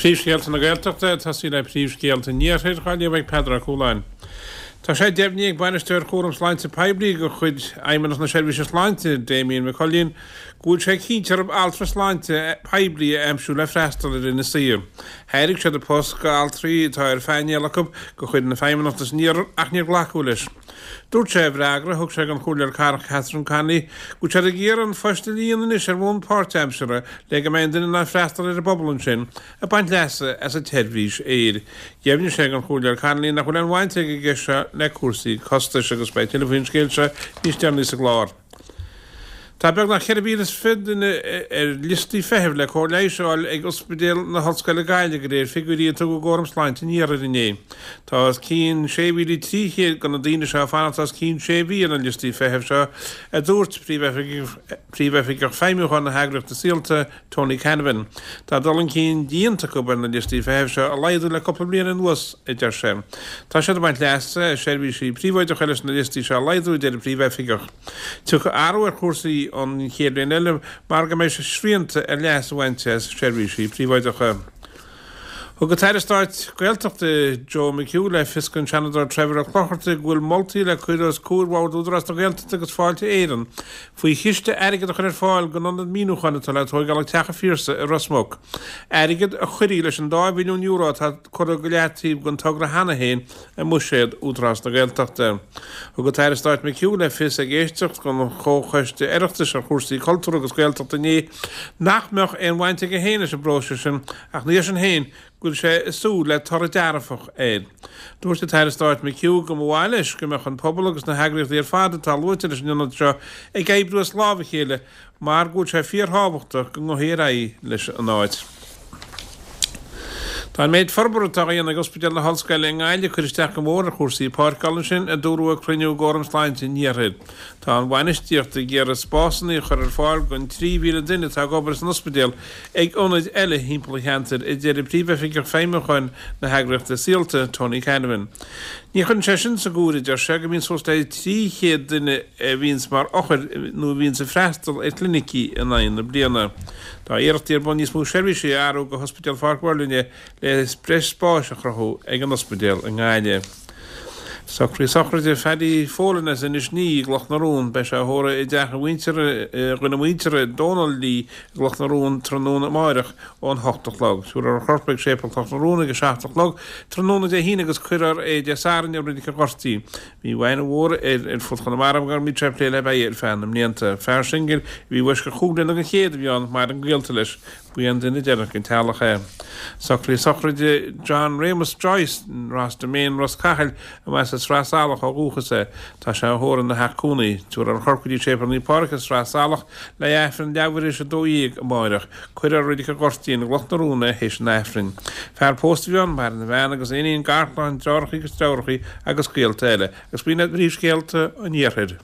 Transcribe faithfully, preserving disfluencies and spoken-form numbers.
Príomhscéalta na Gaeltachta, tosaí le príomhscéalta an Iarthair, á léamh ag Peadar Ó Cualáin. Tá sé deimhnithe ag Bainisteoir Chúram Sláinte Poiblí de chuid Fheidhmeannacht na Seirbhíse Sláinte, Damien McCullion, go bhfuil sé cinnte orthu altra sláinte poiblí a aimsiú le freastal ar Inis Oírr. Thairg siad an post go altraí atá ar phainéal acu de chuid na Feidhmeannachta san iarthar ach níor glacadh leis. Dúirt sé i bhfreagra a thug sé don Chomhairleoir Cathrach Catherine Connolly go bhfuil siad ag iarraidh an phost a líonadh anois ar bhonn páirtaimseartha le go mbeidh an duine in ann freastal ar an bpobal ansin ag baint leasa as an tseirbhís aeir. Dheimhnigh sé don Chomhairleoir Connolly nach bhfuil aon bhaint ag an gceist seo le cúrsaí costais agus beidh tuilleadh faoin scéal seo níos deireanaí sa gclár. Tá beagnach ceithre mhíle is fiche duine ar liostaí feithimh le cóir leighis a fháil ag Ospidéal na hOllscoile Gaillimh de réir figiúirí a tugadh d'Fhóram Sláinte an Iarthair inné. Tá os cionn sé mhíle trí chéad de na daoine seo ag fanacht os cionn sé mhí ar na liostaí feithimh seo, a dúirt Príomhoifigeach Feidhmiúcháin na heagraíochta Saolta, Tony Canavan. Tá dul chun cinn déanta acu ar na liostaí feithimh seo a laghdú le cúpla bliain anuas, a deir sé. Tá siad ag baint leasa as seirbhísí príobháideacha leis na liostaí seo a laghdú, a deir an Príomhoifigeach. Tiocfaidh athrú ar chúrsaí an chéad bhliain eile mar go mbeidh srianta ar leas a bhaint as seirbhísí príobháideacha. Thug an tAire Stáit Gaeltachta Joe McHugh le fios don Seanadóir Trevor Ó Clochartaigh go bhfuil moltaí le cur os comhair Bhord Údarás na Gaeltachta agus Fáilte Éireann faoi chiste airgid a chur ar fáil don ionad míniúcháin atá le tóigeáil ag Teach an Phiarsaigh i Ros Muc, airgead a chuirfidh leis an dá mhilliún euro atá curtha go leataobh don togra cheana féin i mbuiséad Údarás na Gaeltachta. Thug an tAire Stáit McHugh le fios ag éisteacht don Chomhchoiste Oireachtais ar chúrsaí Cultúir agus Gaeltachta inné nach mbeadh aon bhaint aige féin leis an bpróiseas sin ach ina dhiaidh sin féin go bhfuil sé ag súil le toradh dearfach air. Dúirt an tAire Stáit McHugh go mba mhaith leis go mbeadh an pobal agus na heagraíochtaí ar fad atá luaite leis an ionad seo ag oibriú as lámh a chéile mar go bhfuil sé fíorthábhachtach go ngabhfaí ar aghaidh leis an áit. Tá an méid forbartha atá á dhéanamh ag Ospidéal na hOllscoile i nGaillimh ag cur isteach go mór ar chúrsaí páirceála ansin, a dúradh ag cruinniú d'Fhóram Sláinte an Iarthair. Tá an bhainistíocht ag iarraidh spásanna a chur ar fáil don trí mhíle duine atá ag obair san ospidéal ag ionaid eile thimpeall an cheantair, a deir Príomhoifigeach Feidhmiúcháin na heagraíochta Saolta, Tony Canavan. Ní chuireann sé sin sa gcomhaireamh, a deir sé, go mbíonn suas le trí chéad duine a bhíonns mar othair nó a bhíonns ag freastal ar chlinicí in aghaidh na bliana. Tá iarrachtaí ar bun níos mó seirbhísí a athrú go hOspidéal Pháirc Mhuirlinne le breis spáis a chruthú ag an ospidéal i nGaillimh. Socruithe sochraide Phaddy Folan as Inis Ní i gCloch na Rón. Beidh sé á thórramh i dteach a mhuintire, a dhuine muinteartha, Dónal Lee i gCloch na Rón tráthnóna amáireach ón hocht a chlog. Tabharfar a chorp ag Séipéal Chloch na Rón ag a seacht a chlog tráthnóna Dé hAoine agus cuirfear é Dé Sathairn i Reilig an Ghoirt. Bhí aithne mhór air ar fud Chonamara mar go mbíodh sé ag plé le beithígh ar feadh na mblianta. Fear singil a bhí i bhfoisceacht chúig bliana den chéad a bhí ann, maireann gaolta leis. Ba é an duine deireanach den teaghlach é. Socruithe sochraide John Réamus Joyce, Ros Demane, Ros Cathail, a mba as Sraith Salach ó dhúchas é. Tá sé á thórramh ina theach cónaí. Tabharfar a chorp go dtí Séipéal Naomh Pádraig i Sraith Salach le hAifreann leathuair théis a dó dhéag amáireach. Cuirfear i Reilig an Ghoirtín i gCloch na Rón é théis an Aifrinn. Fear pósta a bhí ann, maireann a bhean agus a iníon, garchlann, deartháireacha agus deirfiúracha agus gaolta eile. Agus b'in iad príomhscéalta an Iarthair.